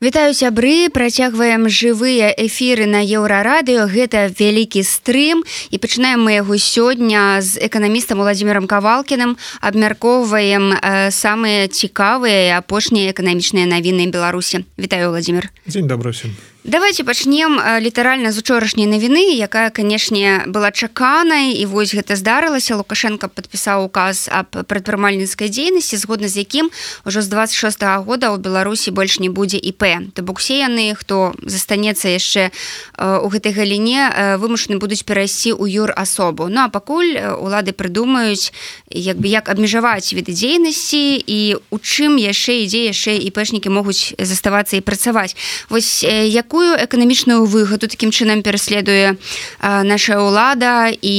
Вітаю, сябры, працягваем жывыя эфіры на Еўрарадыё. Гэта вялікі стрым, і пачынаем мы яго сёння з эканамістам Владзімірам Кавалкіным. Абмяркоўваем самыя цікавыя і апошнія эканамічныя навіны Беларусі. Вітаю, Владзімір. Дзень добры ўсім. Давайте пачнем літаральна з учорашняй навіны, якая, канешне, была чаканай, і вось гэта здарылася. Лукашенко падпісаў указ аб прадпрымальніцкай дзейнасці, згодна з якім ужо з 26-го года ў Беларусі больш не будзе ІП. То бок усе яны, хто застанецца яшчэ у гэтай галіне, вымушаны будуць перайсці ў юрасобу. Ну а пакуль улады прыдумаюць, як абмежаваць віды дзейнасці і у чым яшчэ ІПшнікі могуць заставацца і працаваць. Вось якую эканамічную выгаду такім чынам пераследуе наша ўлада і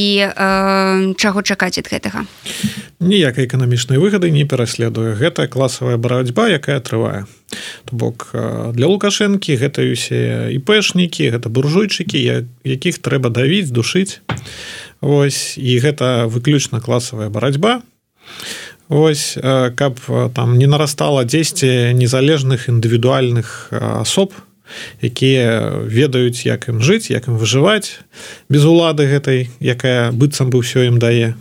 чаго чакаць ад гэтага? Ніякай эканамічнай выгады не пераследуе. Гэта класавая барацьба, якая трывае. То бок для Лукашэнкі гэта усе ІПшнікі, гэта буржуйчыкі, якіх трэба давіць, душыць. Вось, і гэта выключна класавая барацьба. Вось, каб там не нарастала 10 незалежных індывідуальных асоб, якія ведаюць, як ім жыць, як ім выжываць без улады гэтай, якая быццам бы ўсё ім дае.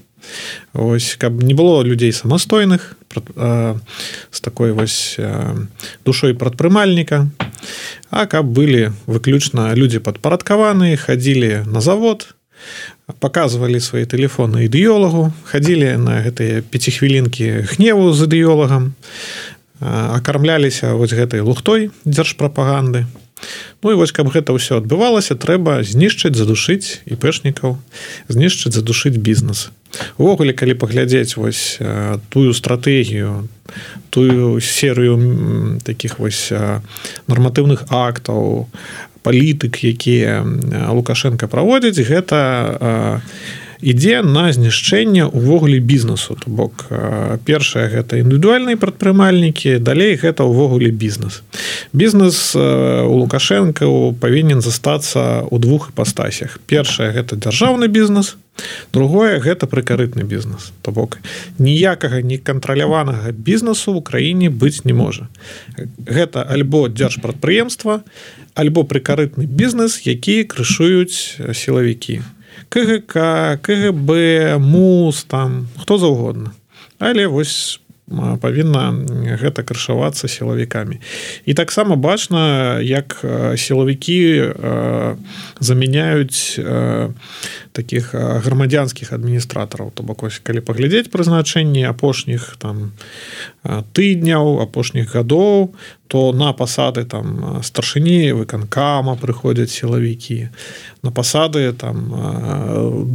Ось, каб не было людзей самастойных з такой вось душой прадпрымальніка, а каб былі выключна людзі падпарадкаваныя, хадзілі на завод, паказвалі свае тэлефоны ідэолагу, хадзілі на гэтыя 5 хвілінкі гневу з ідэолагам, акармляліся вось гэтай лухтой дзяржпрапаганды. Ну і вось, каб гэта ўсё адбывалася, трэба знішчыць, задушыць ІПшнікаў, знішчыць, задушыць бізнес. Увогуле, калі паглядзець вось тую стратэгію, тую серыю такіх вось нарматыўных актаў, палітык, якія Лукашенко праводзіць, гэта ідзе на знішчэнне ўвогуле бізнесу. То бок, першае гэта індывідуальныя прадпрымальнікі, далей гэта ўвогуле бізнес. Бізнес у Лукашенка павінен застацца ў двух іпастасях. Першае гэта дзяржаўны бізнес, другое гэта прыкарытны бізнес. То бок, ніякага некантраляванага бізнесу ў краіне быць не можа. Гэта альбо дзяржпрадпрыемства, альбо прыкарытны бізнес, які крышуюць сілавікі. КГК, КГБ, МУС, там, хто заўгодна. Але вось павінна гэта крышавацца сілавікамі. І таксама бачна, як сілавікі замяняюць такіх грамадзянскіх адміністратараў. То бок, ось, калі паглядзець прызначэнні апошніх там тыдняў, апошніх гадоў, то на пасады там старшыні выканкама прыходзяць сілавікі, на пасады там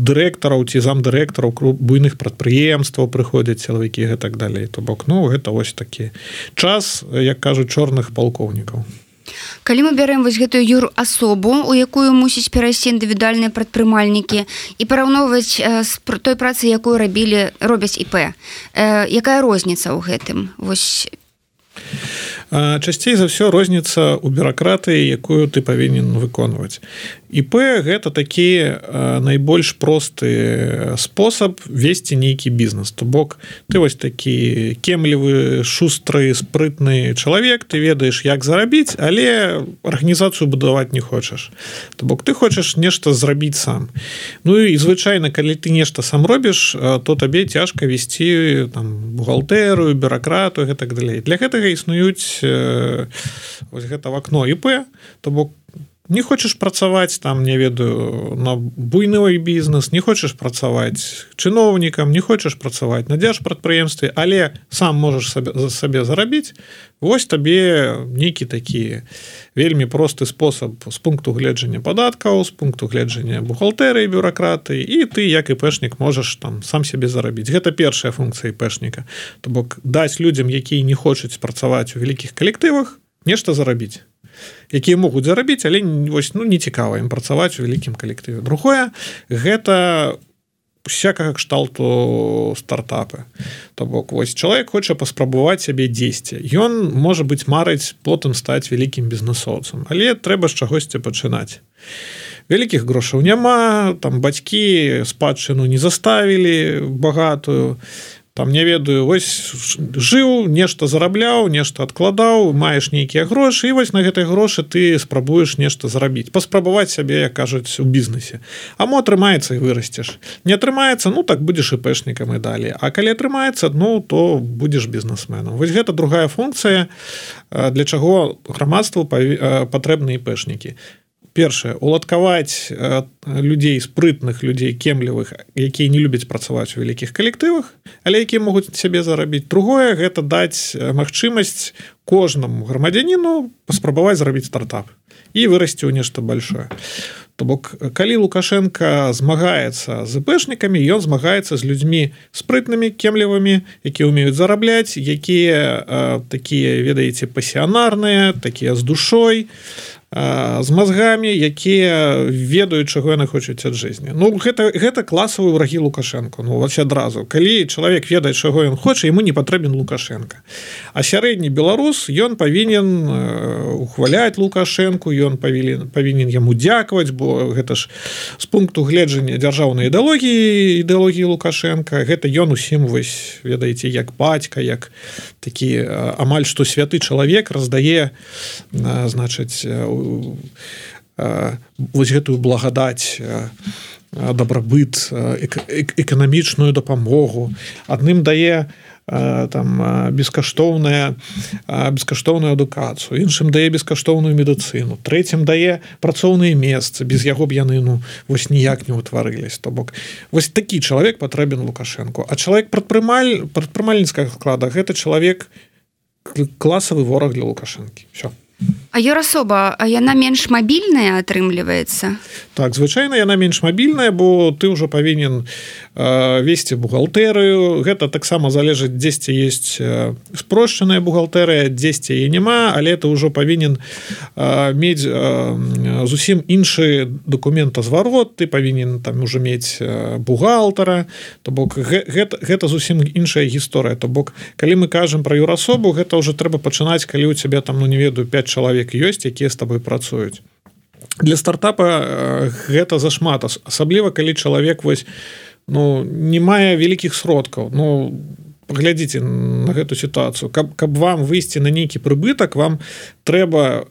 дырэктараў ці замдырэктараў буйных прадпрыемстваў прыходзяць сілавікі і так далей. То бок, ну, гэта вось такі час, як кажуць, чорных палкоўнікаў. Калі мы бярем вось гэтую юрасобу, у якую мусіць перайсці індывідуальныя прадпрымальнікі, і параўноўваць з той працай, якую робяць ІП, якая розніца ў гэтым? Вось. Часцей за ўсё розніца ў бюракратыі, якую ты павінен выконваць. ІП гэта такі найбольш просты спосаб весці нейкі бізнес. То бок, ты вось такі кемлівы, шустры, спрытны чалавек, ты ведаеш, як зарабіць, але арганізацыю будаваць не хочаш. То бок, ты хочаш нешта зрабіць сам. Ну і звычайна, калі ты нешта сам робіш, то табе цяжка весці там бухгалтэрыю, бюракратыю і так далей. Для гэтага існуюць вось гэта вакно ІП, то бок, не хочаш працаваць там, не ведаю, на буйны бізнес, не хочаш працаваць чыноўнікам, не хочаш працаваць на дзяржпрадпрыемстве, але сам можаш сабе зарабіць, вось табе нейкі такі вельмі просты спосаб з пункту гледжання падаткаў, з пункту гледжання бухгалтэрыі, бюракратыі, і ты, як ІПшнік, можаш там сам сябе зарабіць. Гэта першая функцыя ІПшніка. То бок, даць людзям, якія не хочуць працаваць у вялікіх калектывах, нешта зарабіць. Якія могуць зарабіць, але вось, ну, не цікава ім працаваць у вялікім калектыве. Другое, гэта всякага кшталту стартапы. То бок, вось, чалавек хоча паспрабаваць сябе дзесьці. Ён, можа быць, марыць потым стаць вялікім бізнесоўцам, але трэба з чагосьці пачынаць. Вялікіх грошаў няма, там бацькі спадчыну не заставілі багатую, там не ведаю, вось жыў, нешта зарабляў, нешта адкладаў, маеш нейкія грошы, і вось на гэтай грошы ты спрабуеш нешта зарабіць, паспрабаваць сябе, як кажуць, у бізнесе. А мо атрымаецца і вырасцеш. Не атрымаецца, ну так будзеш іпэшнікам і далей. А калі атрымаецца, ну то будзеш бізнесменам. Вось гэта другая функцыя, для чаго грамадству патрэбны іпэшнікі. Першае, уладкаваць людзей, спрытных людзей, кемлівых, якія не любяць працаваць у вялікіх калектывах, але якія могуць сябе зарабіць. Другое, гэта даць магчымасць кожнаму грамадзяніну паспрабаваць зрабіць стартап і вырасці ў нешта большое. То бок, калі Лукашенко змагаецца з іпэшнікамі, ён змагаецца з людзьмі спрытнымі, кемлівымі, якія ўмеюць зарабляць, якія такія, ведаеце, пасіянарныя, такія з душой, з мазгамі, якія ведаюць, чаго яны хочуць ад жыцці. Ну, гэта класавыя врагі Лукашенко. Ну, вось адразу. Калі чалавек ведае, чаго ён хоча, яму не патрэбен Лукашенко. А сярэдні беларус, ён павінен ухваляць Лукашенку, ён павінен яму дзякаваць, бо гэта ж з пункту гледжання дзяржаўнай ідэалогіі Лукашенка, гэта ён усім, вось, ведаеце, як бацька, як такі амаль што святы чалавек раздае, значыць, вось гэтую благадаць, дабрабыт, эканамічную дапамогу. Адным дае там бескаштоўную адукацыю, іншым дае бескаштоўную медыцыну, трэцім дае працоўныя месцы, без яго б яны, ну, вось ніяк не ўтварылись. То бок, вось такі чалавек патрэбен Лукашенку. А чалавек прадпрымальніцкага склада, гэта чалавек класавы вораг для Лукашэнкі. Всё. А юрасоба, а яна менш мабільная атрымліваецца? Так, звычайна яна менш мабільная, бо ты ўжо павінен весці бухгалтэрыю. Гэта таксама залежыць, дзесьці ёсць спрошчаная бухгалтэрыя, дзесьці яе няма, але ты ўжо павінен мець зусім іншы дакументазварот, ты павінен там ужо мець бухгалтара. То бок, гэта зусім іншая гісторыя. То бок, калі мы кажам пра юрасобу, гэта ўжо трэба пачынаць, калі ў цябе там, ну не ведаю, 5 чалавек ёсць, якія з табой працуюць. Для стартапа гэта зашмат, асабліва калі чалавек вось, ну, не мае вялікіх сродкаў. Ну, паглядзіце на гэту сітуацыю. Каб вам выйсці на нейкі прыбытак, вам трэба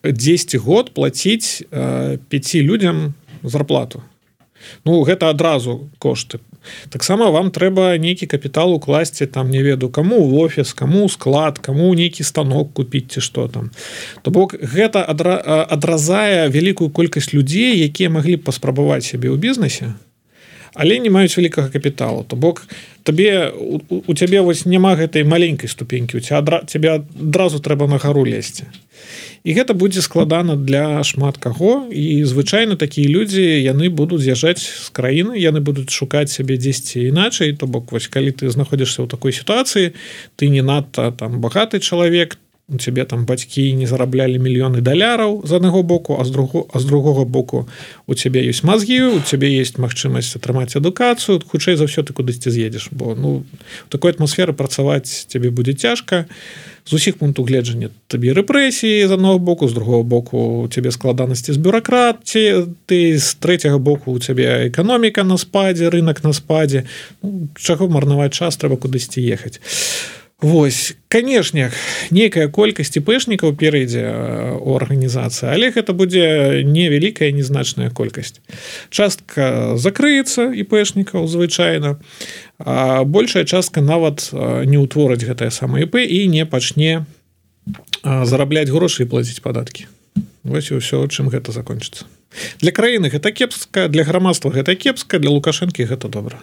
10 год плаціць 5 людзям зарплату. Ну, гэта адразу кошты. Таксама вам трэба нейкі капітал укласці, там, не ведаю, каму ў офіс, каму ў склад, каму нейкі станок купіць ці што там. То бок, гэта адразае вялікую колькасць людзей, якія маглі б паспрабаваць сябе ў бізнесе, але не маюць вялікага капіталу. То бок, у цябе вось няма гэтай маленькай ступенькі, цябе адразу трэба на гару лезці. І гэта будзе складана для шмат каго, і звычайна такія людзі, яны будуць з'язджаць з краіны, яны будуць шукаць сябе дзесьці іначай. То бок, вось, калі ты знаходзішся ў такой сітуацыі, ты не надта там багаты чалавек, у цябе там бацькі не зараблялі мільёны даляраў з аднаго боку, а з другога боку у цябе ёсць мазгі, у цябе ёсць магчымасць атрымаць адукацыю, хутчэй за ўсё ты кудысьці з'едзеш, бо, ну, у такой атмасферы працаваць цябе будзе цяжка. З усіх пунктаў гледжання табе рэпрэсіі з аднаго боку, з другого боку у цябе складанасці з бюракратіяй, ты з трэцяга боку у цябе эканоміка на спадзе, рынок на спадзе. Ну, чаго марнаваць час, трэба кудысьці ехаць. Вось, канешне, нейкая колькасць іпэшнікаў перайдзе ў арганізацыі, але гэта будзе невялікая, незначная колькасць. Частка закрыецца іпэшнікаў звычайна, а большая частка нават не ўтворыць гэтае самае ІП і не пачне зарабляць грошы і плаціць падаткі. Вось і ўсё, чым гэта закончыцца. Для краіны гэта кепска, для грамадства гэта кепска, для Лукашэнкі гэта добра.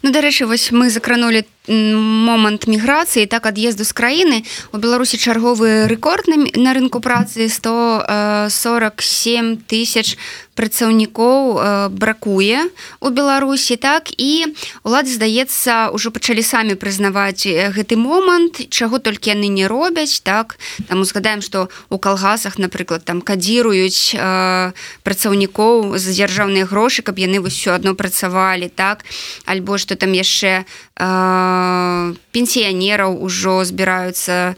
Ну, дарэчы, вось мы закранулі момант міграцыі, так, ад'езду з краіны. У Беларусі чарговы рэкорд на рынку працы, 147 тысяч працаўнікоў бракуе у Беларусі, так, і улады, здаецца, ўжо пачалі самі прызнаваць гэты момант, чаго толькі яны не робяць, так, там узгадаем, што у калгасах, напрыклад, там кадзіруюць працаўнікоў за дзяржаўныя грошы, каб яны ўсё адно працавалі, так, альбо што там яшчэ пенсіянераў ужо збіраюцца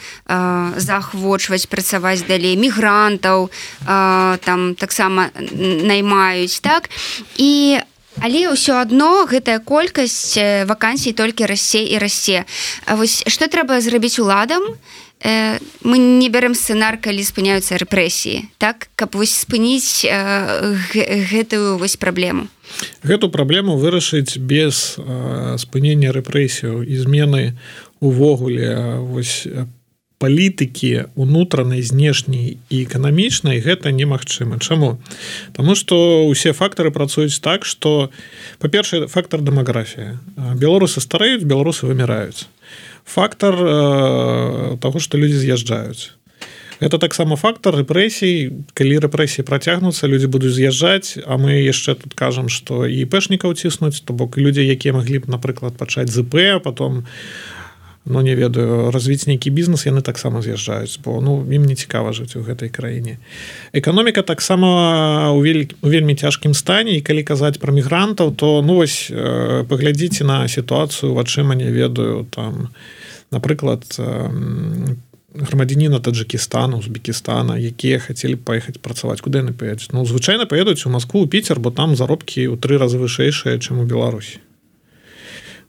заахвочваць працаваць далей, мігрантаў там таксама наймаюць, так, і Але ўсё адно гэтая колькасць вакансій толькі расце і расце. Вось што трэба зрабіць уладам? Мы не бярем сцэнар, калі спыняюцца рэпрэсіі, так, каб вось спыніць гэтую вось праблему. Гэту праблему вырашыць без спынення рэпрэсіяў і змены увогуле вось палітыкі унутранай, знешняй і эканамічнай гэта немагчыма. Чаму? Таму што ўсе фактары працуюць так, што, па-першае, фактар дэмаграфія. Беларусы стареюць, беларусы выміраюць. Фактар таго, што людзі з'язджаюць. Гэта таксама фактар рэпрэсій. Калі рэпрэсіі працягнуцца, людзі будуць з'язджаць, а мы яшчэ тут кажам, што і іпэшнікаў ціснуць, то бок людзі, якія маглі б, напрыклад, пачаць з ІП, а потом, ну, не ведаю, развіць нейкі бізнес, яны таксама з'язджаюць, бо, ну, ім не цікава жыць у гэтай краіне. Эканоміка таксама у вельмі цяжкім стане, і калі казаць пра мігрантаў, то, ну, вось, паглядзіце на сітуацыю вачыма, не ведаю, там, напрыклад, грамадзяніна Таджикістана, Узбекістана, якія хацелі б паехаць працаваць. Куды яны паедуць? Ну, звычайна паедуць у Маскву, у Піцер, бо там заробкі ў 3 разы вышэйшыя, чым у Беларусі.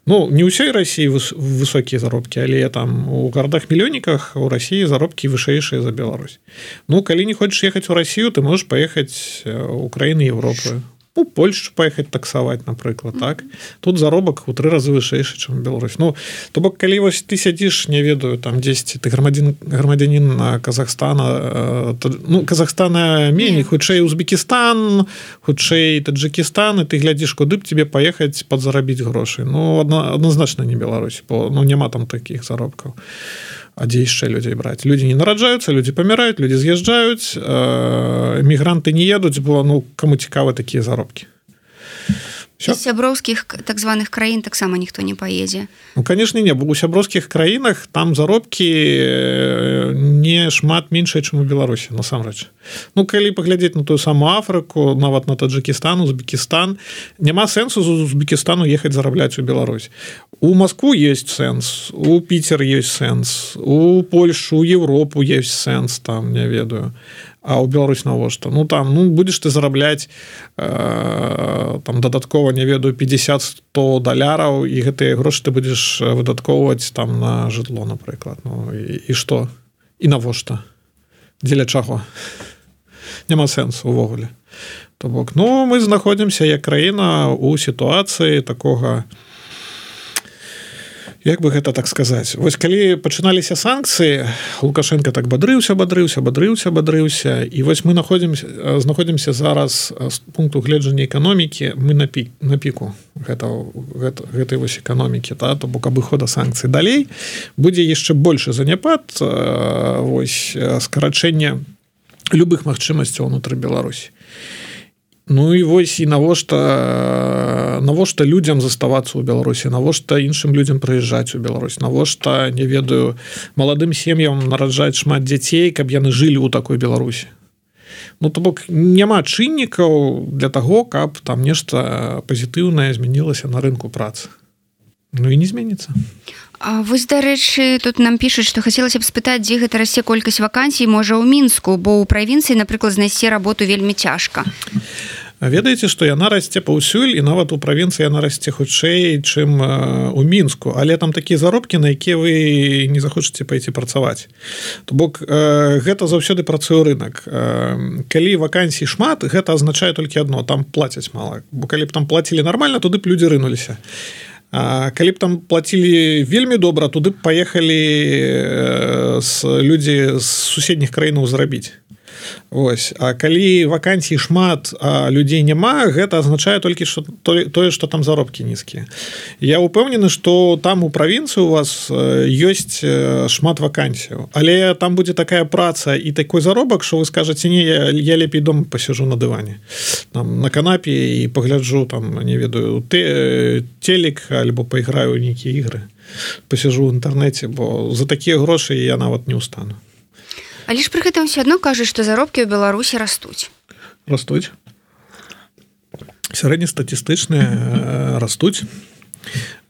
Ну, не ўсёй Расіі высокія заробкі, але там у гарадах-мільённіках у Расіі заробкі вышэйшыя за Беларусь. Ну, калі не хочаш ехаць у Расію, ты можаш паехаць у краіны Еўропы. У Польшчу паехаць таксаваць, напрыклад, так? Тут заробак у 3 разы вышэйшы, чым Беларусь. Ну, то бок, калі вось ты сядзіш, не ведаю, там дзесьці, ты грамадзянін Казахстана, ну, Казахстана меней, хутчэй Узбекістан, хутчэй Таджикістан, і ты глядзіш, куды б тебе паехаць падзарабіць грошы. Ну, адназначна не Беларусь, бо, ну, няма там такіх заробкаў. А дзе яшчэ людзей браць? Людзі не нараджаюцца, людзі паміраюць, людзі з'язджаюць, мігранты не едуць, бо, ну, каму цікавы такія заробкі. З сяброўскіх так званых краін таксама ніхто не паедзе. Ну, канешне, не, бо ў сяброўскіх краінах там заробкі не шмат меншыя, чым у Беларусі, насамрэч. Ну, калі паглядзець на тую самую Афрыку, нават на Таджикістан, Узбекістан, няма сэнсу з Узбекістану ехаць зарабляць у Беларусь. У Маскву ёсць сэнс, у Піцер ёсць сэнс, у Польшу, у Еўропу ёсць сэнс, там, не ведаю. А ў Беларусь навошта? Ну, там, ну, будзеш ты зарабляць там дадаткова, не ведаю, $50-100, і гэтыя грошы ты будзеш выдаткоўваць там на жытло, напрыклад. Ну, і што? І навошта? Дзеля чаго? Няма сэнсу ўвогуле. То бок, ну, мы знаходзімся як краіна ў сітуацыі такога, як бы гэта так сказаць. Вось калі пачыналіся санкцыі, Лукашенко так бадрыўся, і вось мы знаходзімся зараз з пункту гледжання эканомікі, мы на піку гэтай вось эканомікі, то бок абыхода санкцый. Далей будзе яшчэ большы заняпад, вось скарачэнне любых магчымасцяў унутры Беларусі. Ну і вось і навошта людзям заставацца ў Беларусі, навошта іншым людзям прыязджаць у Беларусь, навошта, не ведаю, маладым сем'ям нараджаць шмат дзяцей, каб яны жылі ў такой Беларусі. Ну, то бок, няма чыннікаў для таго, каб там нешта пазітыўнае змянілася на рынку працы. Ну і не зменіцца. А вось, дарэчы, тут нам пішуць, што хацелася б спытаць, дзе гэта расце колькасць вакансій, можа, ў Мінску, бо ў правінцыі, напрыклад, знайсці работу вельмі цяжка. Ведаеце, што яна расце паўсюль, і нават у правінцыі яна расце хутчэй, чым у Мінску, але там такія заробкі, на якія вы не захочаце пайти працаваць. То бок, гэта заўсёды працуе рынок. Калі вакансій шмат, гэта азначае толькі адно, там плацяць мала. Бо калі б там плацілі нармальна, туды б людзі рынуліся. А калі б там плацілі вельмі добра, туды б паехалі людзі з суседніх краінаў зарабіць. Ось. А калі вакансій шмат, а людзей няма, гэта азначае толькі тое, што там заробкі нізкія. Я ўпэўнены, што там у правінцыі у вас ёсць шмат вакансіяў, але там будзе такая праца і такой заробак, што вы скажаце, не, я лепей дома пасяджу на дыване, там, на канапе і пагляджу, там, не ведаю, телек, альбо пайграю ў нейкія ігры, пасяджу ў інтэрнэце, бо за такія грошы я нават не ўстану. Але ж пры гэтым все адно кажуць, што заробкі ў Беларусі растуць. Растуць. Сярэднестатыстычныя растуць.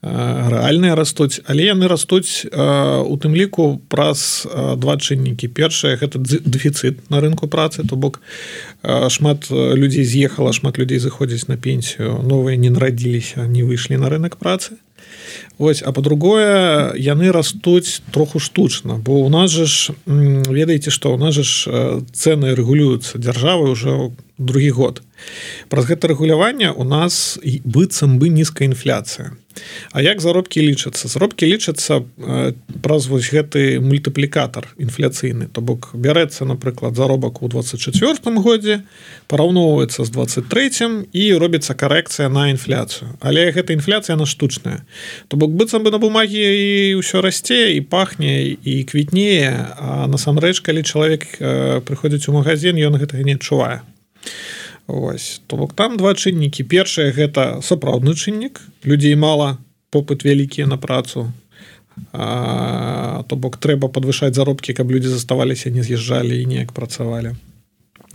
рэальныя растуць, але яны растуць у тым ліку праз два чыннікі. Першае гэта дэфіцыт на рынку працы, то бок шмат людзей з'ехала, шмат людзей заходзіць на пенсію, новыя не нарадзіліся, не выйшлі на рынок працы. Вось, а па-другое, яны растуць троху штучна, бо у нас же ведаеце, што у нас же цэны рэгулююцца дзяржавай ўжо другі год. Праз гэта рэгуляванне у нас быццам бы нізкая інфляцыя. А як заробкі лічацца? Заробкі лічацца праз вось гэты мультыплікатар інфляцыйны. То бок бярэцца, напрыклад, заробак у 24 годзе, параўноўваецца з 23 і робіцца карэкцыя на інфляцыю. Але гэта інфляцыя, яна штучная. То бок быццам бы на бумагі і ўсё расце, і пахне, і квітнее, а насамрэч, калі чалавек прыходзіць у магазин, ён гэтага не адчувае. Ось, то бок там два чыннікі. Першае гэта сапраўдны чыннік, людзей мала, попыт вялікі на працу. То бок трэба падвышаць заробкі, каб людзі заставаліся, не з'язджалі і неяк працавалі.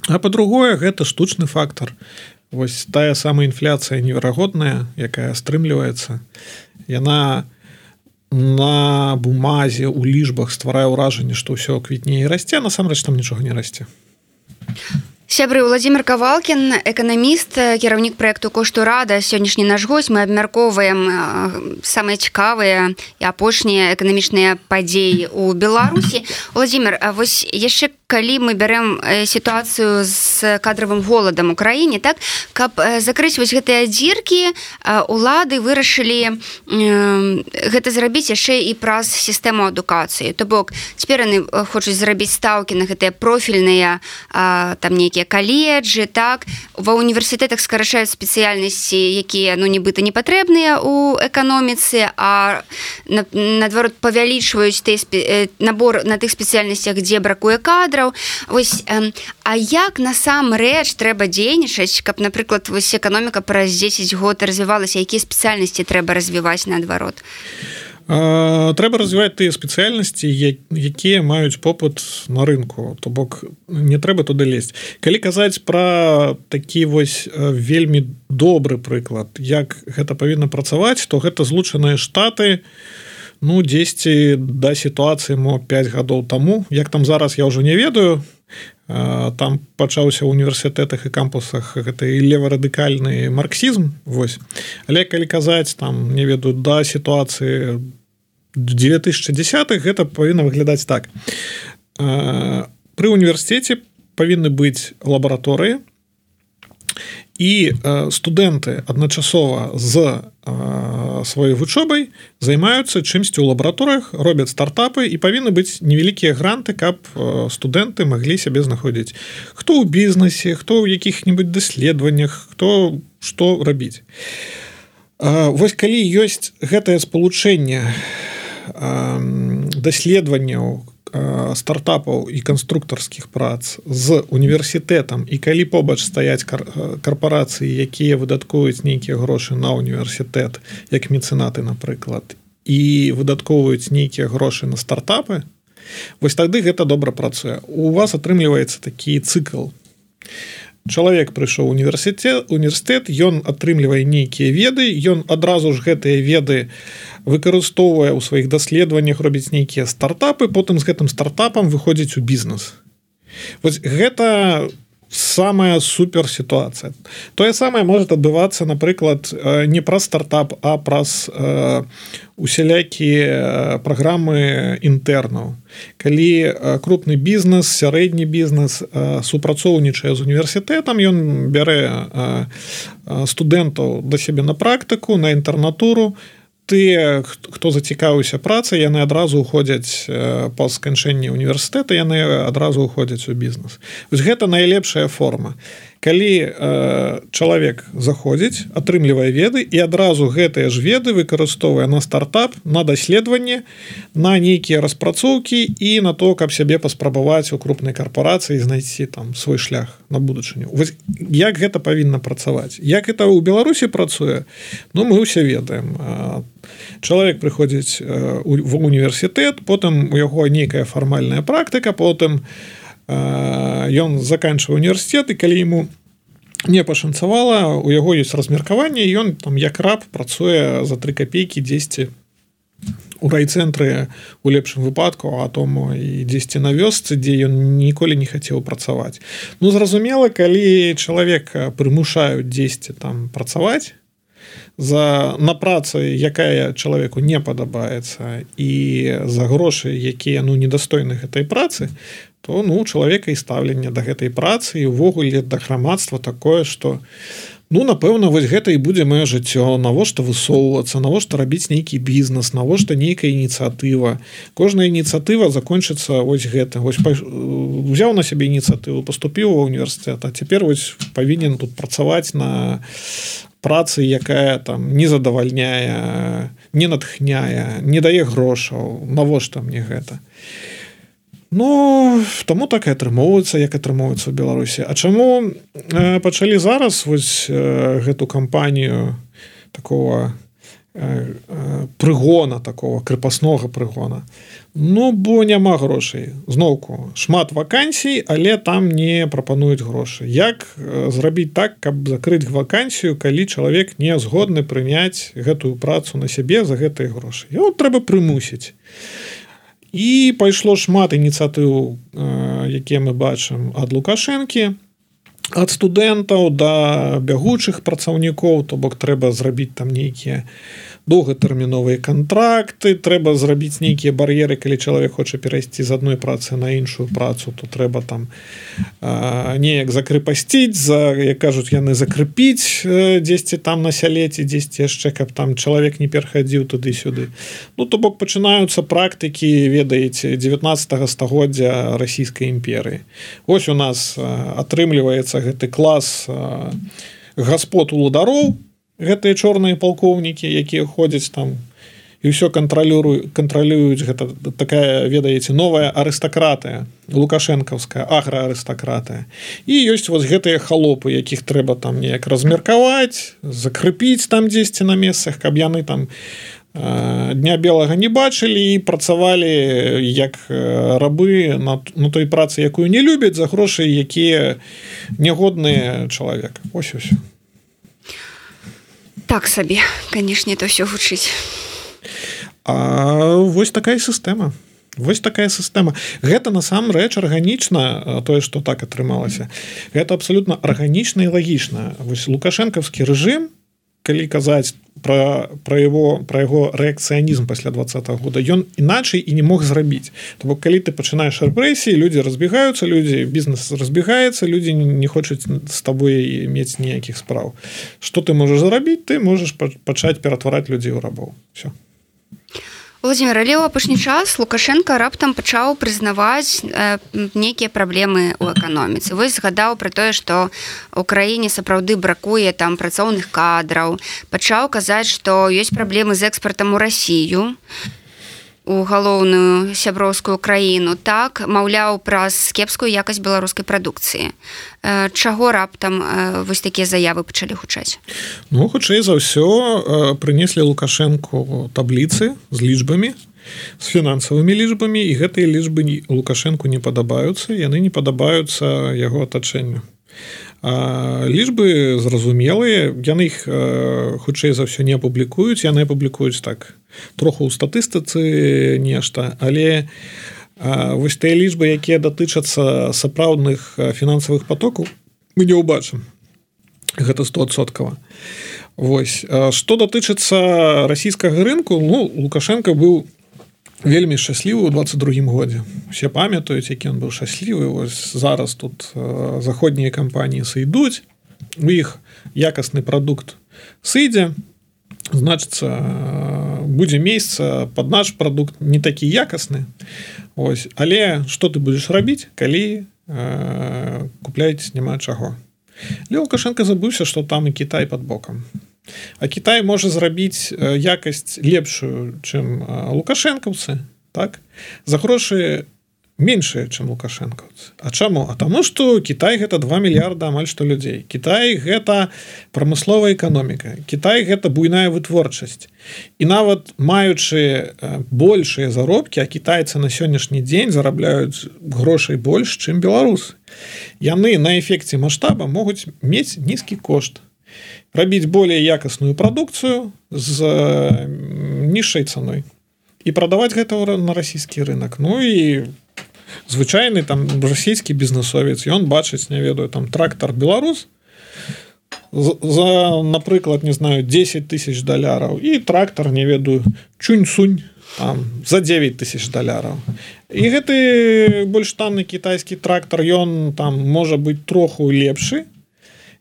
А па-другое, гэта штучны фактар. Вось тая самая інфляцыя неверагодная, якая стрымліваецца, яна на бумазе, у лічбах стварае ўражанне, што ўсё квітнее і расце, а насамрэч там нічога не расце. Сябры, Владзімир Кавалкін, эканаміст, кіраўнік праекту «Кошту рада». Сённяшні наш госць. Мы абмяркоўваем самыя цікавыя і апошнія эканамічныя падзеі ў Беларусі. Владзімир, вось яшчэ калі мы бярем сітуацыю з кадравым голадам у краіне, так, каб закрыць вось гэтыя дзіркі, улады вырашылі гэта зрабіць яшчэ і праз сістэму адукацыі. То бок, цяпер яны хочуць зрабіць стаўкі на гэтыя профільныя там нейкія каледжы, так, ва універсітэтах скарачаюць спецыяльнасці, якія, ну, нібыта не патрэбныя ў эканоміцы, а наадварот павялічваюць набор на тых спецыяльнасцях, дзе бракуе кадраў. Вось, а як насамрэч трэба дзейнічаць, каб, напрыклад, вось эканоміка праз 10 год развівалася, якія спецыяльнасці трэба развіваць наадварот? Трэба развіваць тыя спецыяльнасці, якія маюць попыт на рынку, то бок не трэба туды лезть. Калі казаць пра такі вось вельмі добры прыклад, як гэта павінна працаваць, то гэта Злучаныя Штаты, ну, 10 да сітуацыі, мо 5 гадоў таму. Як там зараз, я ўжо не ведаю. Там пачаўся ў універсітэтах і кампусах гэты леварадыкальны марксізм. Вось. Але калі казаць, там, не ведаю, да сітуацыі 2010-х, гэта павінна выглядаць так. Пры універсітэце павінны быць лабараторыі, і студэнты адначасова з сваёй вучобай займаюцца чымсьці ў лабараторыях, робяць стартапы, і павінны быць невялікія гранты, каб студэнты маглі сябе знаходзіць. Хто ў бізнесе, хто ў якіх-небудзь даследаваннях, хто што рабіць. Вось калі ёсць гэтае спалучэнне даследаванняў, стартапаў і канструктарскіх прац з універсітэтам, і калі побач стаяць карпорацыі, якія выдаткуюць нейкія грошы на універсітэт, як мецэнаты, напрыклад, і выдаткоўваюць нейкія грошы на стартапы, вось тады гэта добра працуе. У вас атрымліваецца такі цыкл. Чалавек прыйшоў у універсітэт, ён атрымлівае нейкія веды, ён адразу ж гэтыя веды выкарыстоўвае ў сваіх даследаваннях, робіць нейкія стартапы, потым з гэтым стартапам выходзіць у бізнес. Вось гэта самая супер сітуацыя. Тое самае можа адбывацца, напрыклад, не праз стартап, а праз усялякія праграмы інтэрнаў. Калі крупны бізнес, сярэдні бізнес супрацоўнічае з універсітэтам, ён бярэ студэнтаў да сябе на практыку, на інтэрнатуру. Тыя, хто зацікавіўся працай, яны адразу ўходзяць па сканчэнні універсітэта, яны адразу ўходзяць у бізнес. Вось гэта найлепшая форма. Калі чалавек заходзіць, атрымлівае веды, і адразу гэтыя ж веды выкарыстоўвае на стартап, на даследаванне, на нейкія распрацоўкі і на то, каб сябе паспрабаваць у крупнай карпорацыі і знайсці там свой шлях на будучыню. Вось як гэта павінна працаваць? Як гэта ў Беларусі працуе? Ну, мы ўсе ведаем. Чалавек прыходзіць в універсітэт, потым у яго нейкая фармальная практыка, потым ён заканчвае універсітэт, і калі яму не пашанцавала, у яго ёсць размеркаванне, ён там як раб працуе за 3 копейкі дзесьці у райцэнтры у лепшым выпадку, а тому і дзесьці на вёсцы, дзе ён ніколі не хацеў працаваць. Ну, зразумела, калі чалавека прымушаюць дзесьці там працаваць на працы, якая чалавеку не падабаецца, і за грошы, якія недастойны гэтай працы, то чалавека і стаўленне да гэтай працы і ўвогуле да грамадства такое, што напэўна, вось гэта і будзе маё жыццё, навошта высоўвацца, навошта рабіць нейкі бізнес, навошта нейкая ініцыятыва. Кожная ініцыятыва закончыцца вось гэта. Вось узяў на сябе ініцыятыву, паступіў ва ўніверсітэт, а цяпер вось павінен тут працаваць на працы, якая там не задавальняе, не натхняе, не дае грошаў. Навошта мне гэта? Таму так і атрымоўваецца, як атрымоўваецца ў Беларусі. А чаму пачалі зараз вось гэту кампанію такого прыгона, такого крепаснога прыгона? Бо няма грошай. Зноўку, шмат вакансій, але там не прапануюць грошы. Як зрабіць так, каб закрыць вакансію, калі чалавек не згодны прыняць гэтую працу на сябе за гэтыя грошы? Яго трэба прымусіць. І пайшло шмат ініцыятыў, якія мы бачым ад Лукашэнкі, ад студэнтаў да бягучых працаўнікоў, то бок трэба зрабіць там нейкія доўгатэрміновыя кантракты, трэба зрабіць нейкія бар'еры, калі чалавек хоча перайсці з адной працы на іншую працу, то трэба там неяк закрэпасціць, як кажуць яны, закрэпіць дзесьці там на сяле ці дзесьці яшчэ, каб там чалавек не перахадзіў туды-сюды. То бок пачынаюцца практыкі, ведаеце, 19 стагоддзя расійскай імперыі. Вось у нас атрымліваецца гэты клас гаспод уладароў, гэтыя чорныя палкоўнікі, якія ходзяць там і ўсё кантралююць. Гэта такая, ведаеце, новая арыстакратыя, лукашэнкаўская аграарыстакратыя. І ёсць вось гэтыя халопы, якіх трэба там неяк размеркаваць, закрэпіць там дзесьці на месцах, каб яны там дня белага не бачылі і працавалі як рабы на той працы, якую не любяць, за грошы, якія нягодныя чалавека. Ось усё. Так сабе, канешне, это ўсё гучыць. А вось такая сістэма. Гэта насамрэч арганічна, тое, што так атрымалася. Гэта абсалютна арганічна і лагічна. Вось лукашэнкаўскі рэжым, калі казаць пра яго рэакцыянізм пасля 20-го года, ён іначай і не мог зрабіць. То бок, калі ты пачынаеш рэпрэсіі, людзі разбегаюцца, бізнес разбегаецца, людзі не хочуць з табой мець ніякіх спраў. Што ты можаш зрабіць? Ты можаш пачаць ператвараць людзей у рабоў. Всё. Владимир, але ў апошні час Лукашенко раптам пачаў прызнаваць нейкія праблемы ў эканоміцы. Вось згадаў пра тое, што ў краіне сапраўды бракуе там працоўных кадраў. Пачаў казаць, што ёсць праблемы з экспартам у Расію, у галоўную сяброўскую краіну. Так, маўляў, праз кепскую якасць беларускай прадукцыі. Чаго раптам вось такія заявы пачалі гучаць? Хутчэй за ўсё прынеслі Лукашэнку табліцы з лічбамі, з фінансавымі лічбамі, і гэтыя лічбы Лукашэнку не падабаюцца, яны не падабаюцца яго атачэнню. Лічбы зразумелыя, яны іх хутчэй за ўсё не апублікуюць, яны апублікуюць так троху ў статыстыцы нешта, але вось тыя лічбы, якія датычацца сапраўдных фінансавых потокаў, мы не ўбачым. Гэта 100%. Вось. Што датычыцца расійскага рынку, Лукашенко быў вельмі шчаслівы ў 22-м годзе. Усе памятаюць, які ён быў шчаслівы. Вось зараз тут заходнія кампаніі сыйдуць, у іх якасны прадукт сыдзе, значыцца, будзе месца пад наш прадукт не такі якасны. Ось. Але што ты будзеш рабіць, калі купляць няма чаго? Лукашенко забыўся, што там і Кітай пад бокам. А Кітай можа зрабіць якасць лепшую, чым лукашэнкаўцы, так? За грошы меншыя, чым лукашэнкаўцы. А чаму? А таму што Кітай гэта 2 мільярда амаль што людзей. Кітай гэта прамысловая эканоміка. Кітай гэта буйная вытворчасць. І нават маючы большыя заробкі, а кітайцы на сённяшні дзень зарабляюць грошай больш, чым беларусы. Яны на эфекце маштаба могуць мець нізкі кошт, рабіць болей якасную прадукцыю з нізшай цаной і прадаваць гэта на расійскі рынок. Ну і звычайны там расійскі бізнесовец, ён бачыць, не ведаю, там трактар беларус за, напрыклад, не знаю, $10 000 і трактар, не ведаю, чунь-сунь там за $9 000. І гэты больш танны кітайскі трактар, ён там можа быць троху лепшы,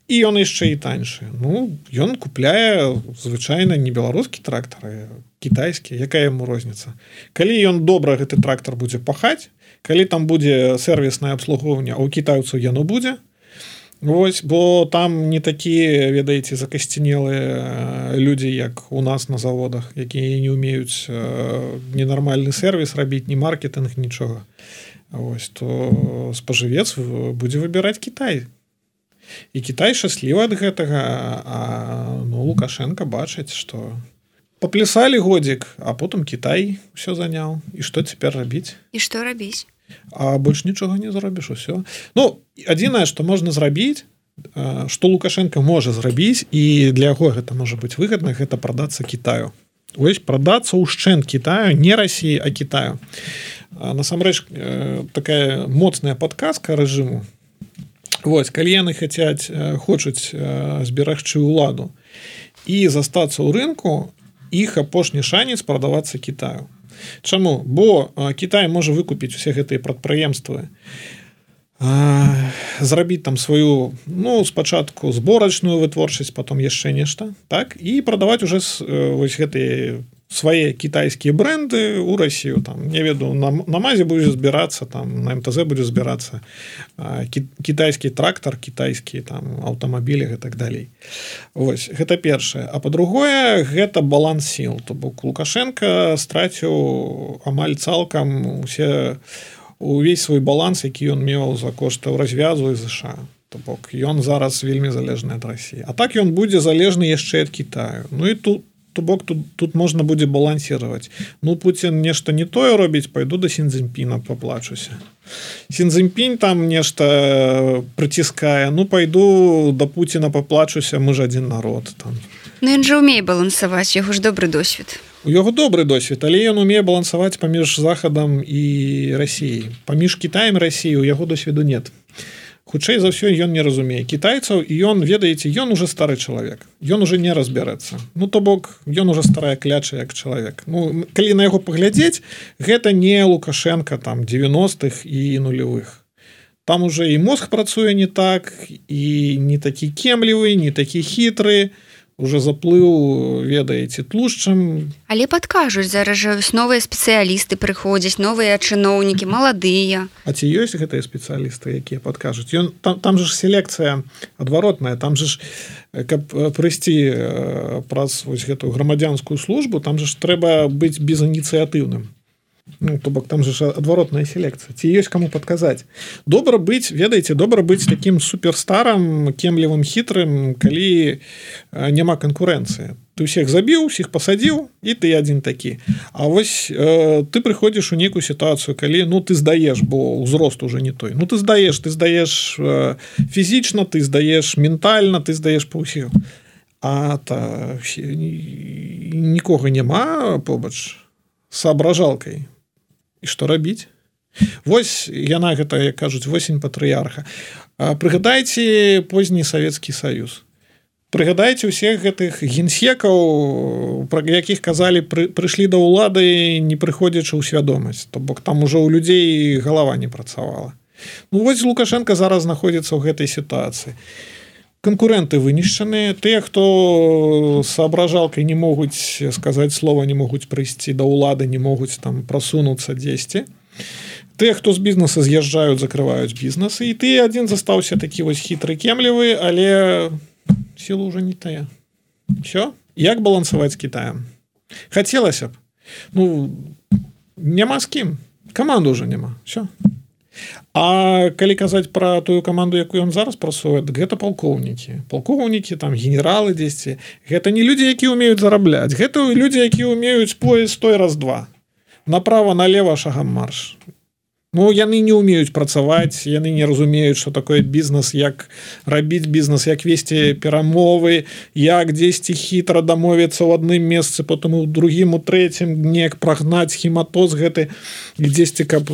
і ён яшчэ і таньшы. Ну, ён купляе звычайна не беларускі трактар, а кітайскі. Якая яму розніца? Калі ён добра гэты трактар будзе пахаць, калі там будзе сэрвіснае абслугоўванне, а ў кітайцаў яно будзе, вось, бо там не такія, ведаеце, закасцінелыя людзі, як у нас на заводах, якія не ўмеюць ненармальны сэрвіс рабіць, ні маркетинг, нічога. Вось, то спажывец будзе выбіраць Кітай. І Кітай шчаслівы ад гэтага, а ну, Лукашенко бачыць, што паплясалі годзік, а потым Кітай ўсё заняў. І што цяпер рабіць? І што рабіць? А больш нічога не зробіш, усё. Ну, адзінае, што можна зрабіць, што Лукашенко можа зрабіць, і для яго гэта можа быць выгадна, гэта прадацца Кітаю. Вось прадацца ўшчэнт Кітаю, не Расіі, а Кітаю. Насамрэч, такая моцная падказка рэжыму. Вось, калі яны хочуць зберагчы ўладу і застацца ў рынку, іх апошні шанец прадавацца Кітаю. Чаму? Бо Кітай можа выкупіць усе гэтыя прадпрыемствы, зрабіць там сваю, ну, спачатку зборачную вытворчасць, потом яшчэ нешта, так, і прадаваць уже вось гэтыя свае кітайскія бренды ў Расію, там, не ведаю, на МАЗе будзе збірацца, там, на МТЗ будзе збірацца кітайскі трактар, кітайскія там аўтамабілі і так далей. Вось, гэта першае. А па-другое, гэта баланс сіл. То бок Лукашенко страціў амаль цалкам увесь свой баланс, які ён меў за кошт развязу і ЗША. То бок ён зараз вельмі залежны ад Расіі. А так ён будзе залежны яшчэ ад Кітаю. Ну і то бок тут можна будзе балансировать. Ну, Путин нешта не тое робіць, пайду до Сін-Цзіньпіна поплачуся. Сін-Цзіньпінь там нешта прыціскае, ну, пайду до Путина поплачуся, мы ж адзін народ. Там. Ну, ён жа умее балансаваць, яго ж добры досвед. У яго добры досвед, але ён умее балансаваць паміж Захадам і Расіяй. Паміж Кітаем і Расіяй у яго досведу нет. Хутчэй за ўсё ён не разумее кітайцаў, і ён, ведаеце, ён уже стары чалавек. Ён уже не разбярэцца. Ну, то бок, ён уже старая кляча як чалавек. Ну, калі на яго паглядзець, гэта не Лукашенко там 90-х і нулевых. Там уже і мозг працуе не так, і не такі кемлівы, не такі хітры, уже заплыў, ведаеце, тлушчам. Але падкажуць, зараз жа новыя спецыялісты прыходзяць, новыя чыноўнікі, маладыя. А ці ёсць гэтыя спецыялісты, якія падкажуць? Там же ж селекцыя адваротная, там же ж, каб прыйсці праз вось гэтую грамадзянскую службу, там же ж трэба быць безініцыятыўным. Ну, то бок там же ж адваротная селекцыя. Ці ёсць каму падказаць. Добра быць, ведаеце, добра быць такім суперстарам, кемлівым, хітрым, калі няма канкурэнцыі. Ты ўсіх забіў, усіх пасадзіў, і ты адзін такі. А вось ты прыходзіш у нейкую сітуацыю, калі, ну, ты здаеш, бо ўзрост уже не той. Ну, ты здаеш фізічна, ты здаеш ментальна, ты здаеш па ўсіх. А нікога няма побач соображалкай. І што рабіць? Вось яна гэта, як кажуць, восень патрыярха. Прыгадайце позні Савецкі Саюз. Прыгадайце ўсіх гэтых генсекаў, пра якіх казалі, прыйшлі да ўлады, не прыходзячы ў свядомасць. То бок там ужо ў людзей галава не працавала. Ну вось Лукашенко зараз знаходзіцца ў гэтай сітуацыі. Конкуренты вынішчаныя, тыя, хто соображалкай не могуць сказаць слова, не могуць прыйсці да ўлады, не могуць там прасунуцца дзесьці. Тыя, хто з бізнеса з'язджаюць, закрываюць бізнесы, і ты адзін застаўся такі вось хітры, кемлівы, але сіла ўжо не тая. Всё? Як балансаваць з Кітаем? Хацелася б. Ну, няма з кім. Каманды ўжо няма, все. А калі казаць пра тую каманду, якую ён зараз працуе, гэта палкоўнікі, там генералы дзесьці, гэта не людзі, якія ўмеюць зарабляць, гэта людзі, якія ўмеюць поезд той раз-два, направо налево шагам марш. Ну, яны не ўмеюць працаваць, яны не разумеюць, што такое бізнес, як рабіць бізнес, як весці перамовы, як дзесьці хітра дамовіцца ў адным месцы, потым у другім, у трэцім, неяк прагнаць хематоз гэты, дзесьці, каб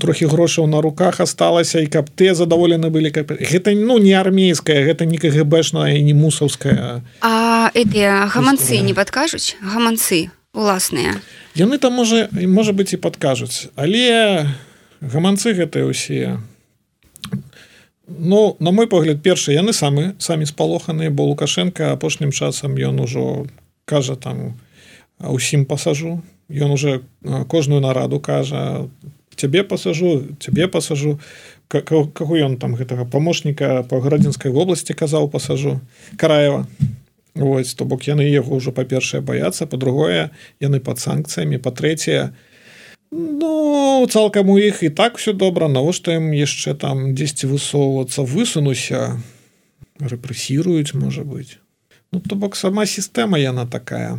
трохі грошаў на руках асталася, і каб те задаволены былі. Гэта, ну, не армейская, гэта не КГБшная і не мусаўская. А гэтыя гаманцы не падкажуць? Гаманцы уласныя? Яны там, можа быць, і падкажуць, але гаманцы гэтыя ўсе, ну, на мой погляд, першы, яны самі спалоханыя, бо Лукашенко апошнім часам ён ужо кажа там усім пасажу, ён уже кожную нараду кажа, цябе пасажу, каго ён там гэтага памочніка па Градзінскай вобласці казаў пасажу, Караева. Вось, то бок яны яго ўжо, па-першае, баяцца, па-другое, яны пад санкцыямі, па-трэцяе, ну, цалкам у іх і так все добра, навошта ім яшчэ там дзесьці высоўвацца, высунуся, рэпрэсіруюць, можа быць. Ну, то бок сама сістэма яна такая.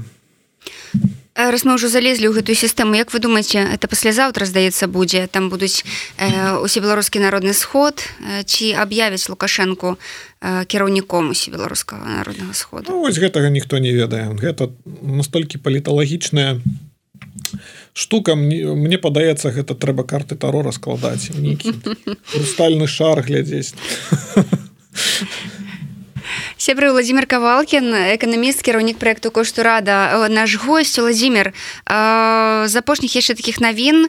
Раз мы ўжо залезлі ў гэтую сістэму, як вы думаеце, это паслязаўтра, здаецца, будзе, там будуць усебеларускі народны сход, ці аб'явяць Лукашэнку кіраўніком усебеларускага народнага сходу? Ну, вось гэтага ніхто не ведае. Гэта настолькі паліталагічная штука, мне падаецца, гэта трэба карты Таро раскладаць, нейкі хрустальны шар глядзець. Сябры, Владимир Кавалкін, эканаміст, кіраўнік праекту «Кошт урада». Наш госць, Владимир, з апошніх яшчэ такіх навін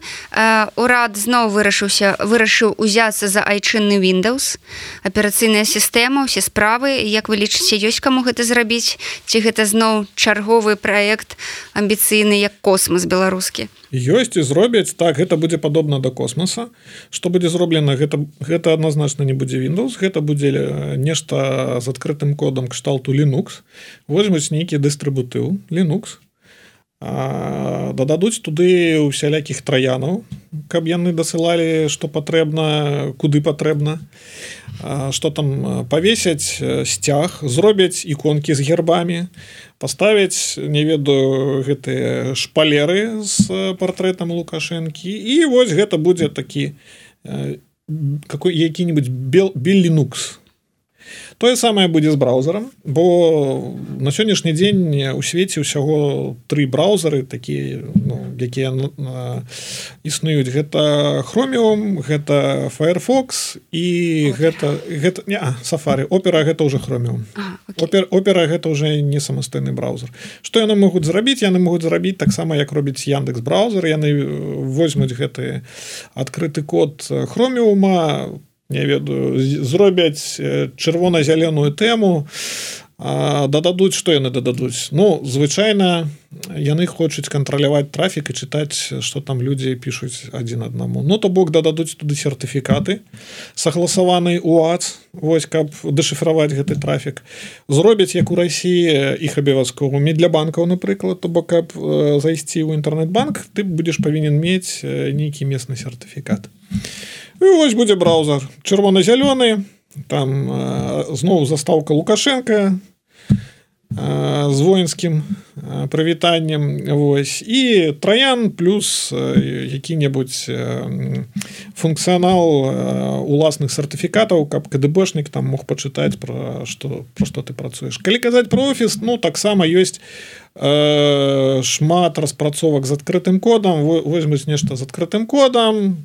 урад зноў вырашыў узяцца за айчынны Windows, аперацыйная сістэма, усе справы. Як вы лічыце, ёсць каму гэта зрабіць? Ці гэта зноў чарговы праект амбіцыйны, як космас беларускі? Ёсць і зробяць, так, гэта будзе падобна да космоса. Што будзе зроблена, гэта адназначна не будзе Windows, гэта будзе нешта з адкрытым кодам кшталту Linux. Возьмуць нейкі дыстрыбутыў Linux, дададуць туды усялякіх траянаў, каб яны дасылалі, што патрэбна, куды патрэбна, што там павесяць сцяг, зробяць іконкі з гербамі, паставяць, не ведаю, гэтыя шпалеры з партрэтам Лукашэнкі, і вось гэта будзе такі які-небудзь Linux. Тое самае будзе з браузерам, бо на сённяшні дзень у свеце ўсяго 3 браузеры такія, ну, якія існуюць. Гэта Chromium, гэта Firefox і Safari. Opera гэта ўжо Chromium. Opera гэта ўжо не самастойны браузер. Што яны могуць зрабіць? Яны могуць зрабіць таксама, як робіць Яндекс браузер. Яны возьмуць гэты адкрыты код Chromium, не ведаю, зробяць чырвона-зялёную тэму, дададуць, што яны дададуць? Ну, звычайна, яны хочуць кантраляваць трафік і чытаць, што там людзі пішуць адзін аднаму. Ну, то бок дададуць туды сертыфікаты, сагласаваны УАЦ, вось, каб дэшыфраваць гэты трафік. Зробяць, як у Расіі, іх абавязкова для банкаў, напрыклад, то бок, каб зайсці ў інтэрнэт-банк, ты будзеш павінен мець нейкі месны сертыфікат. І вось будзе браузер чырвона-зялёны, там зноў застаўка Лукашенка з воінскім прывітаннем, вось, і троян плюс які-небудзь функцыянал уласных сертыфікатаў, каб КДБшнік там мог пачытаць пра што ты працуеш. Калі казаць пра офіс, ну, таксама ёсць шмат распрацовак з адкрытым кодам, возьмуць нешта з адкрытым кодам,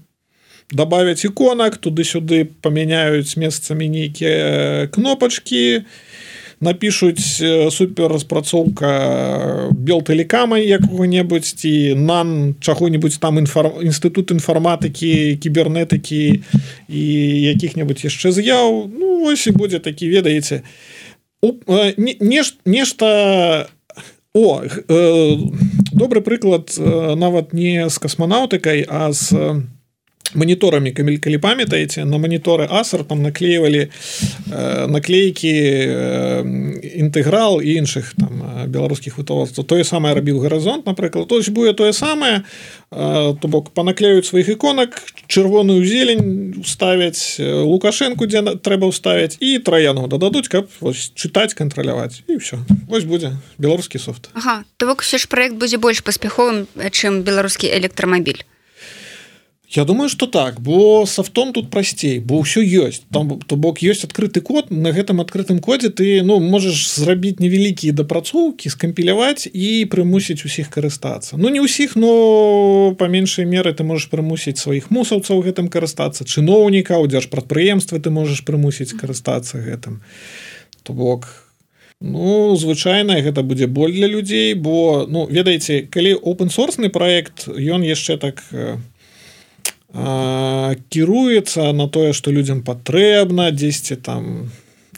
добавить иконок, туды-сюды памяняюць месцамі нейкія кнопачкі, напишуць супер распрацоўка Белтэлекама якога-небудзь ці НАН чаго-небудзь там інстытут інфарматыкі, кібернетыкі і якіх-небудзь яшчэ з'яў. Ну, вось і будзе такі, ведаеце, нешта... Добры прыклад нават не з касманаўтыкай, а з мониторами, калі памятаеце, на мониторы Acer там наклеивали наклейки інтэграл і іншых там беларускіх вытворцаў. Тое самае рабіў Гарызонт, напрыклад. То есть будет тое самае, то бок панаклеюць сваіх іконак, чырвоную зелень ставяць, Лукашэнку, дзе трэба ўставіць, і траянку дададуць, каб чытаць, кантраляваць. І ўсё. Вось будзе беларускі софт. Ага, то бок все ж праект будзе больш паспяховым, чым беларускі электрамабіль. Я думаю, что так, бо софтом тут прасцей, бо ўсё ёсць. Там, то бок, ёсць адкрыты код, на гэтым адкрытым кодзе ты можаш зрабіць невялікія дапрацоўкі, скампіляваць і прымусіць усіх карыстацца. Не ўсіх, но па меншай меры ты можаш прымусіць сваіх мусаўцаў гэтым карыстацца, чыноўнікаў, дзяржпрадпрыемствы ты можаш прымусіць карыстацца гэтым. То бок, звычайна гэта будзе боль для людзей, бо, ведаеце, калі open-source праект, ён яшчэ так кіруецца на тое, што людзям патрэбна, дзесьці там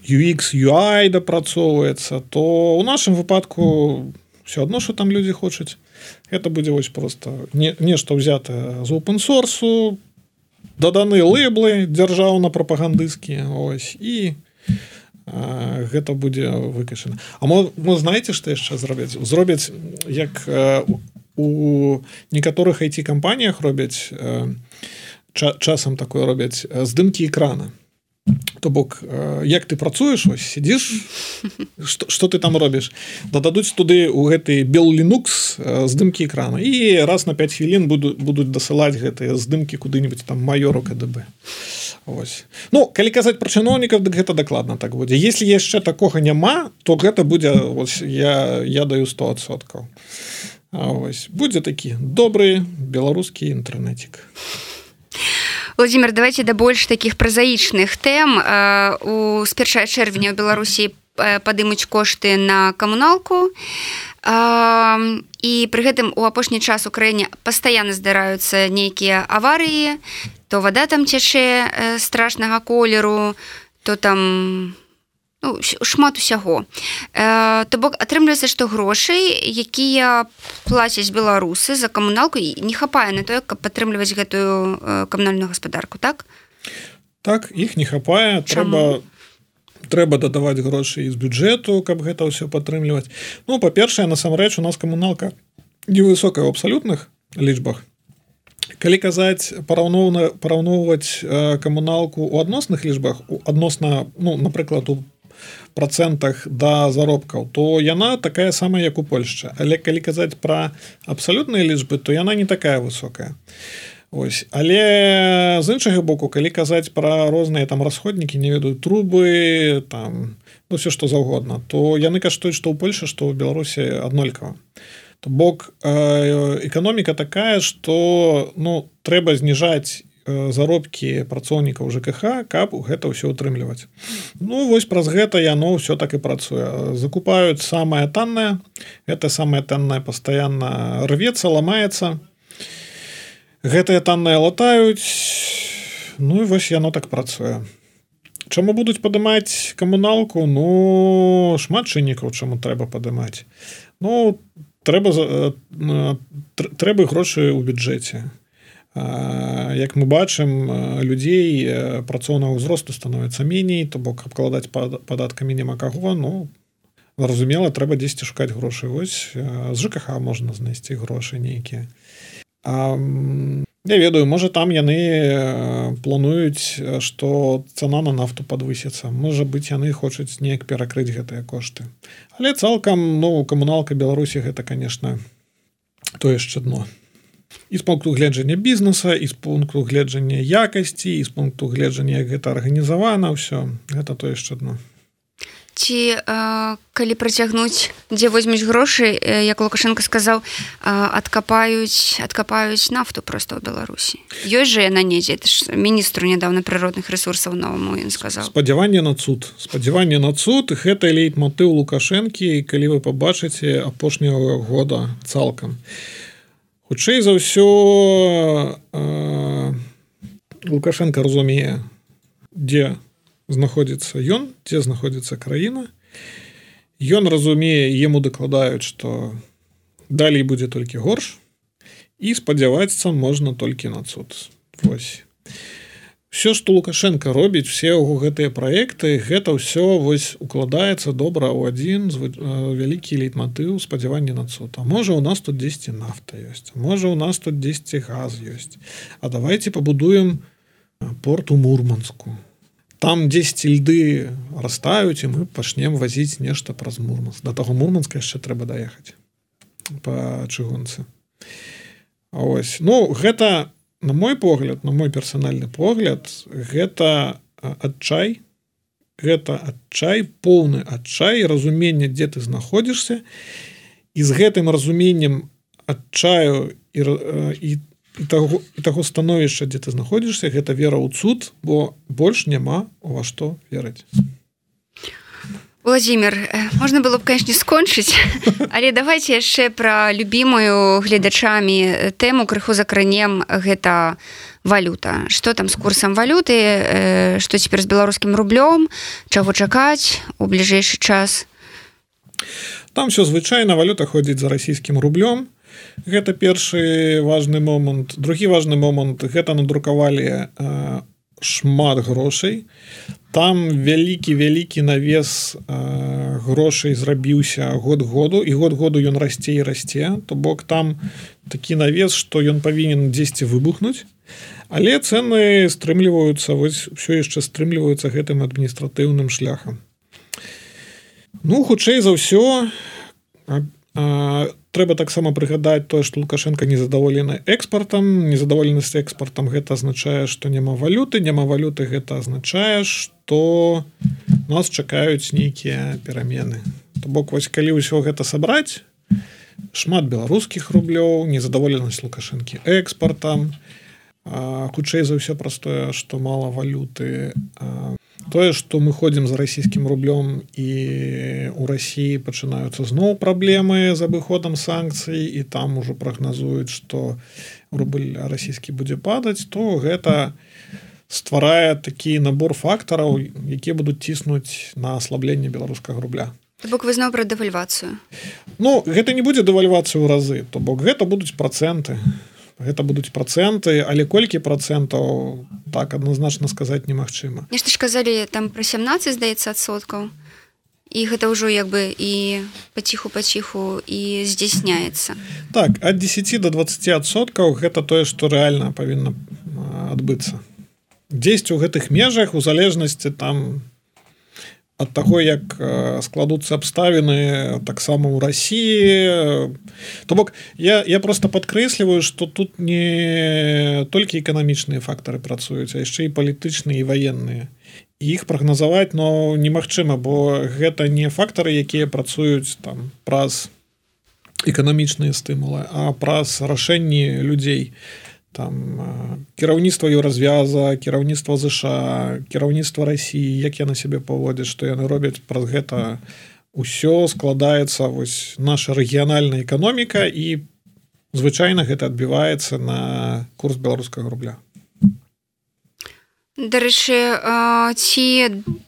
UX, UI дапрацоўваецца, то ў нашым выпадку все адно, што там людзі хочуць. Гэта будзе вось проста нешта ўзятае з open-source, даданы лэйблы дзяржаўна-прапагандысцкія, ось, і гэта будзе выкачана. А мы знаеце, што яшчэ зробяць? Зробяць, як у некаторых IT-кампаніях робяць, часам такое робяць, здымкі экрана. То бок, як ты працуеш, ось, сидзіш, што ты там робіш? Дададуць туды ў гэты Bell Linux здымкі экрана. І раз на 5 хвілін будуць дасылаць гэтыя здымкі куды-нибудь там майору КДБ. Ось. Калі казаць пра чыноўнікаў, дык гэта дакладна так будзе. Если яшчэ такога няма, то гэта будзе, ось, я даю 100%. Ось, будзе такі добры беларускі інтэрнетик. Владимир, давайте да больш такіх празаічных тэм. З 1 чэрвеня ў Беларусі падымуць кошты на камуналку. І пры гэтым у апошні час у краіне пастаянна здараюцца нейкія аварыі, то вада там цячэ страшнага колеру, то там шмат усяго. То бок атрымліваецца, што грошай, якія плацяць беларусы за камуналку, не хапае на тое, каб падтрымліваць гэтую камунальную гаспадарку, так? Так, іх не хапае. Трэба дадаваць грошай з бюджэту, каб гэта ўсё падтрымліваць. Па-першае, насамрэч, у нас камуналка невысокая ў абсалютных лічбах. Калі казаць, параўноўваць камуналку ў адносных лічбах, адносна, напрыклад, у процентах да заробкаў, то яна такая самая, як у Польшчы. Але калі казаць пра абсалютныя лічбы, то яна не такая высокая. Ось. Але з іншага боку, калі казаць пра розныя там расходнікі, не ведаю, трубы, там, все што заўгодна, то яны каштуюць што ў Польшы, што ў Беларусі аднолькава. То бок эканоміка такая, што трэба зніжаць заробкі працоўнікаў ЖКХ, каб гэта ўсё ўтрымліваць. Вось праз гэта яно ўсё так і працуе. Закупаюць самае таннае, гэта самае таннае пастаянна рвецца, ламаецца. Гэтыя танныя латаюць, і вось яно так працуе. Чаму будуць падымаць камуналку? Шмат чыннікаў, чаму трэба падымаць. Трэба грошы ў бюджэце. Як мы бачым, людзей працоўнага ўзросту становіцца меней, то бок абкладаць падаткамі няма каго, зразумела, трэба дзесьці шукаць грошы. Вось з ЖКХ можна знайсці грошы нейкія. Я ведаю, можа там яны плануюць, што цана на нафту падвысіцца. Можа быць, яны хочуць неяк перакрыць гэтыя кошты. Але цалкам, камуналка Беларусі гэта, конечно, то яшчэ дно. І з пункту гледжання бізнеса, і з пункту гледжання якасці, і з пункту гледжання, як гэта арганізавана, ўсё, гэта то яшчэ дно. Ці калі працягнуць, дзе возьмуць грошы, як Лукашенко сказаў, адкапаюць нафту проста ў Беларусі. Ёсць жа яна недзе, это ж міністру нядаўна прыродных рэсурсаў новаму ён сказаў. Спадзяванне на цуд, гэта лейтмотыў Лукашэнкі, калі вы пабачыце апошняга года цалкам. Хутчэй за ўсё Лукашенко разумее, дзе знаходзіцца ён, дзе знаходзіцца краіна. Ён разумее, яму дакладаюць, што далей будзе толькі горш, і спадзявацца можна толькі на цуд. Вось. Все, што Лукашенко робіць, все яго гэтыя праекты, гэта ўсё вось укладаецца добра ў адзін вялікі лейтматыў спадзявання на цуд. А можа, у нас тут дзесьці нафта ёсць, можа, у нас тут дзесьці газ ёсць. А давайте пабудуем порт у Мурманску. Там дзесьці льды растаюць, і мы пачнем вазіць нешта праз Мурманск. Да таго Мурманска яшчэ трэба даехаць па чыгунцы. А ось, ну, гэта на мой погляд, на мой персанальны погляд, гэта адчай, поўны адчай, разуменне, дзе ты знаходзішся, і з гэтым разуменнем адчаю і таго становішча, дзе ты знаходзішся, гэта вера ў цуд, бо больш няма ва што верыць. Владимир, можна было б, конечно, скончыць, але давайте яшчэ пра любімую гледачамі тэму крыху закранем, гэта валюта. Што там з курсам валюты, што цяпер з беларускім рублём, чаго чакаць у бліжэйшы час? Там все звычайна, валюта ходзіць за расійскім рублём. Гэта першы важны момант. Другі важны момант, гэта надрукавалі шмат грошай. Там вялікі навес грошай зрабіўся год-году, і год-году ён расце і расце. То бок там такі навес, што ён павінен дзесьці выбухнуць, але цэны стрымліваюцца, вось ўсё яшчэ стрымліваюцца гэтым адміністратыўным шляхам. Ну, хутчэй за ўсё, трэба таксама прыгадаць тое, што Лукашенко незадаволены экспартам. Незадаволенасць экспартам гэта азначае, што няма валюты. Няма валюты гэта азначае, што нас чакаюць нейкія перамены. То бок, вось калі ўсё гэта сабраць, шмат беларускіх рублёў, незадаволенасць Лукашэнкі экспартам, хутчэй за ўсё праз тое, што мала валюты, тое, што мы ходзім за расійскім рублём і ў Расіі пачынаюцца зноў праблемы з абыходам санкцый, і там ужо прагназуюць, што рубль расійскі будзе падаць, то гэта стварае такі набор фактараў, якія будуць ціснуць на аслабленне беларускага рубля. То бок вы зноў пра дэвальвацыю? Ну, гэта не будзе дэвальвацыя ў разы, то бок гэта будуць працэнты. Гэта будуць працэнты, але колькі працэнтаў, так адназначна сказаць немагчыма. Нешта ж казалі там пра 17, здаецца, адсоткаў. І гэта ўжо як бы і паціху і здзяйсняецца. Так, ад 10 до 20% гэта тое, што рэальна павінна адбыцца. Дзесьці ў гэтых межах, у залежнасці там ад таго, як складуцца абставіны таксама ў Расіі. То бок, я проста падкрэсліваю, што тут не толькі эканамічныя фактары працуюць, а яшчэ і палітычныя і ваенныя. І іх прагназаваць, но немагчыма, бо гэта не фактары, якія працуюць там праз эканамічныя стымулы, а праз рашэнні людзей. Там кіраўніцтва Еўразвяза, кіраўніцтва ЗША, кіраўніцтва Расіі, як яны сябе паводзяць, што яны робяць, праз гэта ўсё складаецца вось наша рэгіянальная эканоміка, і звычайна гэта адбіваецца на курс беларускага рубля. Дарэчы, ці,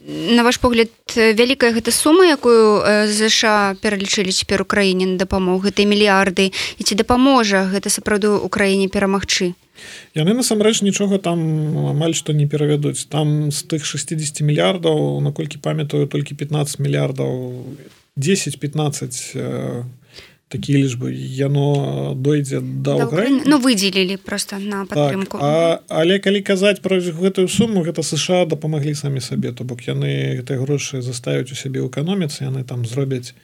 на ваш погляд, вялікая гэта сума, якую ЗША пералічылі цяпер Украіне на дапамогу, гэтыя мільярды, і ці дапаможа гэта сапраўды Украіне перамагчы? Яны насамрэч нічога там амаль што не перавядуць. Там з тых 60 мільярдаў, наколькі памятаю, толькі 15 мільярдаў, 10-15 такія лічбы, яно дойдзе да Украіны. Ну, выдзелілі проста на падтрымку. Так, але калі казаць пра гэтую суму, гэта США дапамаглі самі сабе, то бок яны гэтыя грошы заставяць у сябе ў эканоміцы, яны там зробяць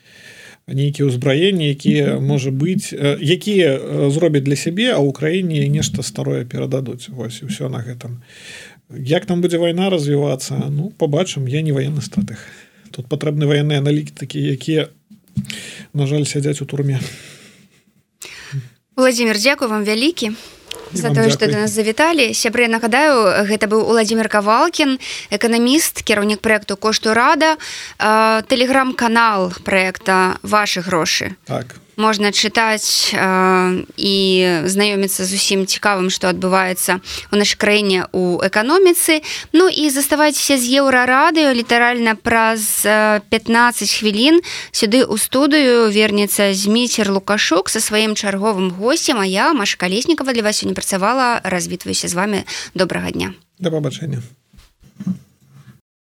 нейкія ўзбраенні, якія, можа быць, якія зробяць для сябе, а ў Украіне нешта старое перададуць. Вось, і ўсё на гэтым. Як там будзе вайна развівацца? Ну, побачым, я не ваенны стратэг. Тут патрэбны ваенныя аналітыкі, якія, на жаль, сядзяць у турме. Владимир, дзякую вам вялікі за тое, што да нас завіталі. Сябры, нагадаю, гэта быў Уладзімір Кавалкін, эканаміст, кіраўнік праекту «Кошту рада», тэлеграм-канал праекта «Вашы грошы». Так. можна чытаць і знаёміцца з усім цікавым, што адбываецца ў нашай краіне ў эканоміцы. Ну і заставайцеся з Еўрарадыё, літаральна праз 15 хвілін сюды ў студыю вернецца Зміцер Лукашук са сваім чарговым госцем, а я, Маша Калеснікава, для вас сёння працавала. Развітваюся з вами. Добрага дня. Да пабачэння.